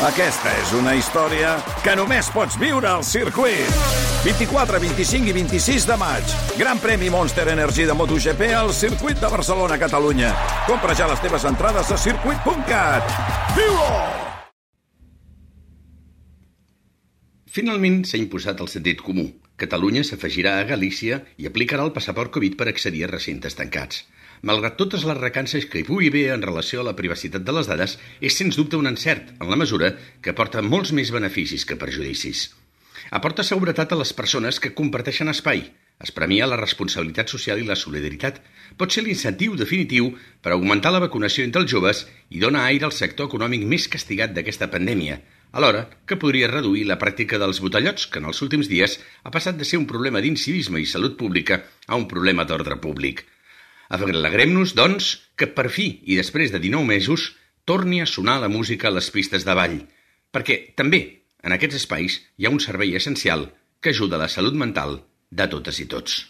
Aquesta és una història que només pots viure al circuit. 24, 25 i 26 de maig. Gran premi Monster Energy de MotoGP al circuit de Barcelona, Catalunya. Compra ja les teves entrades a circuit.cat. Viu-ho! Finalment s'ha imposat el sentit comú. Catalunya s'afegirà a Galícia i aplicarà el passaport Covid per accedir a recintes tancats. Malgrat totes les recances que hi pugui haver en relació a la privacitat de les dades, és sens dubte un encert, en la mesura que aporta molts més beneficis que perjudicis. Aporta seguretat a les persones que comparteixen espai, es premia la responsabilitat social i la solidaritat, pot ser l'incentiu definitiu per augmentar la vacunació entre els joves i dona aire al sector econòmic més castigat d'aquesta pandèmia, alhora que podria reduir la pràctica dels botellots, que en els últims dies ha passat de ser un problema d'incivisme i salut pública a un problema d'ordre públic. Alegrem-nos, doncs, que per fi, i després de 19 mesos, torni a sonar la música a les pistes de ball, perquè també en aquests espais hi ha un servei essencial que ajuda a la salut mental de totes i tots.